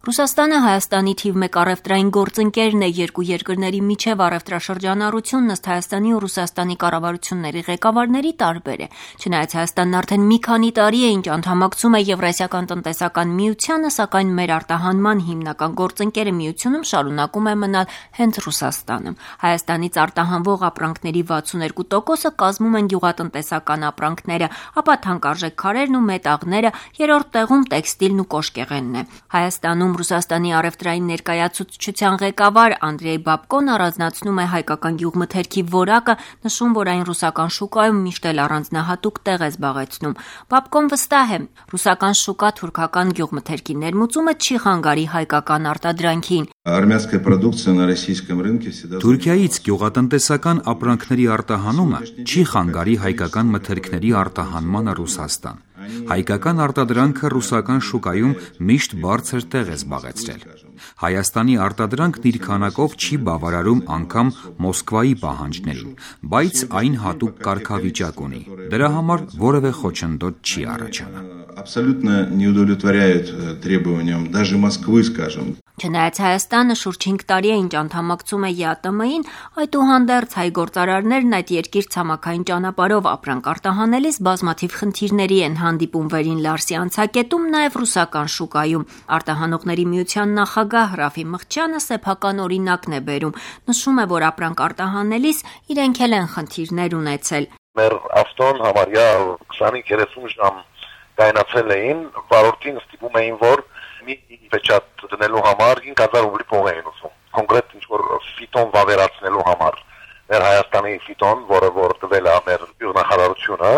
Ռուսաստանը Հայաստանի թիվ 1 առևտրային գործընկերն է, երկու երկրների միջև առևտրաշրջանառությունն ըստ Հայաստանի ու Ռուսաստանի կառավարությունների ղեկավարների տարբեր է։ Չնայած Հայաստանն արդեն մի քանի տարի է, ինչ անդամակցում է Եվրասիական տնտեսական միությանը, սակայն մեր արտահանման հիմնական գործընկերը միությունում շարունակում է մնալ հենց Ռուսաստանը։ Հայաստանից արտահանվող ապրանքների 62%-ը կազմում են գյուղատնտեսական ապրանքները, ապա թանկարժեք քարերն ու մետաղները, երրորդ տեղում տեքստիլն ու կոշկեղենն է։ Հայաստանում Ռուսաստանի առևտրային ներկայացուցչության ղեկավար Անդրեյ Բաբկոն առանձնացնում է հայկական գյուղմթերքի որակը, նշում, որ այն ռուսական շուկայում միշտ էլ առանձնահատուկ տեղ է զբաղեցնում։ Բաբկոն վստահ է, ռուսական շուկա թուրքական գյուղմթերքի ներմուծումը չի խանգարի հայկական արտադրանքին։ Թուրքիայից գյուղատնտեսական ապրանքների արտահանումը չի խանգարի հայկական մթերքների արտահանմանը Ռուսաստան։ Հայկական արտադրանքը ռուսական շուկայում միշտ բարձր տեղ է զբաղեցրել։ Հայաստանի արտադրանքն իր քանակով չի բավարարում անգամ Մոսկվայի պահանջներին, բայց այն հատուկ կարգավիճակ ունի։ Դրա համար որևէ խոչընդոտ չի առաջանա։ Չնայած Հայաստանը շուրջ 5 տարի է ինչ անդամակցում է ԵԱՏՄ-ին, այդուհանդերձ հայ գործարարներն այդ երկիր ցամաքային ճանապարհով ապրանք արտահանելիս բազմաթիվ խնդիրների են հանդիպում Վերին Լարսի անցակետում, նաև ռուսական շուկայում։ Արտահանողների միության նախագահ Ռաֆի Մղչյանը սեփական օրինակն է բերում, նշում է, որ ապրանք արտահանելիս իրենք էլ են խնդիրներ ունեցել։ Մեր ավտոն համարյա 20-30 ժամ կայնացել էին, վարորդին ստիպում էին, որ մի պեչատ դնելու համար 5000 ռուբլի փող էին ուզում։ Կոնկրետ ինչ-որ ֆիտոն վավերացնելու համար։ Մեր Հայաստանի ֆիտոն, որը տվել է մեր գյուղնախարարությունը,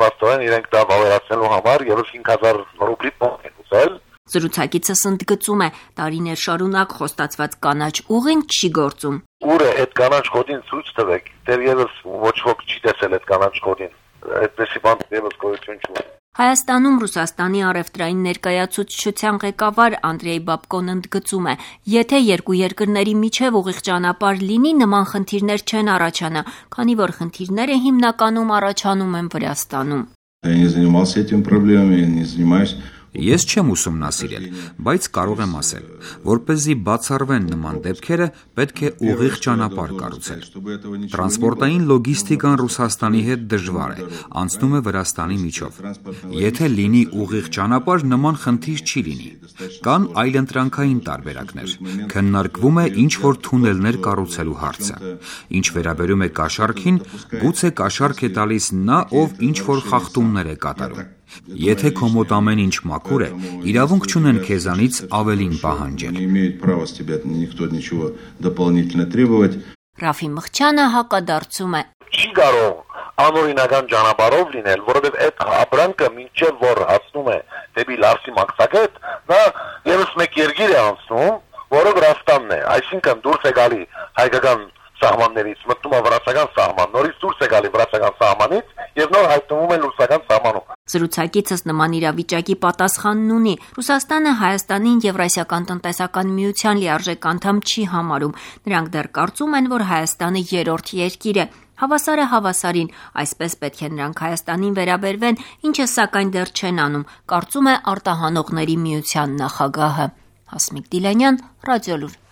պաստորեն իրենք դա վավերացնելու համար եւս 5000 ռուբլի փող են ուզել։ Զրուցակիցս ընդգծում է, տարիներ շարունակ խոստացված կանաչ ուղին չի գործում։ Ուր է այդ կանաչ կոդին ցույց տվեք, դեռևս ոչ ոք չի տեսել այդ կանաչ կոդին։ Այդպեսի բան դեռևս գոյություն չունի։ Հայաստանում Ռուսաստանի առևտրային ներկայացուցչության ղեկավար Անդրեյ Բաբկոն ընդգծում է, եթե երկու երկրների միջև ուղիղ ճանապարհ լինի, նման խնդիրներ չեն առաջանա, քանի որ խնդիրները հիմնականում առաջանում են Վրաստանում։ Ես չեմ ուսումնասիրել, բայց կարող եմ ասել, որպեսզի բացառվեն նման դեպքերը, պետք է ուղիղ ճանապարհ կառուցել։ Տրանսպորտային լոգիստիկան Ռուսաստանի հետ դժվար է, անցնում է Վրաստանի միջով։ Եթե լինի ուղիղ ճանապարհ, նման խնդիր չի լինի։ Կան այլընտրանքային տարբերակներ։ Քննարկվում է ինչ-որ թունելներ կառուցելու հարցը։ Ինչ վերաբերում է կաշառքին, գուցե կաշառք է տալիս նա, ով ինչ-որ խախտումներ է կատարում։ Եթե քո մոտ ամեն ինչ մաքուր է, իրավունք չունեն քեզանից ավելին պահանջել։ Ռաֆի Մղչյանը հակադարձում է. Չի կարող անօրինական ճանապարհով լինել, որովհետև այդ ապրանքը մինչև որ հասնում է դեպի Լարսի մաքսակետ, նա եւս մեկ երկիր է անցնում, որը Վրաստանն է, այսինքն դուրս է գալի հայկական սահմաններից, մտնում է վրացական սահման, նորից դուրս է գալի վրացական սահմանից եւ նոր հայտնվում է ռուսական սահմանում։ Զրուցակիցս նման իրավիճակի պատասխանն ունի։ Ռուսաստանը Հայաստանին Եվրասիական տնտեսական միության լիարժեք անդամ չի համարում։ Նրանք դեռ կարծում են, որ Հայաստանը երրորդ երկիր է։ Հավասարը հավասարին, այսպես պետք է նրանք Հայաստանին վերաբերվեն, ինչը սակայն դեռ չեն անում, կարծում է արտահանողների միության նախագահը։ Հասմիկ Դիլանյան, Ռադիոլուր։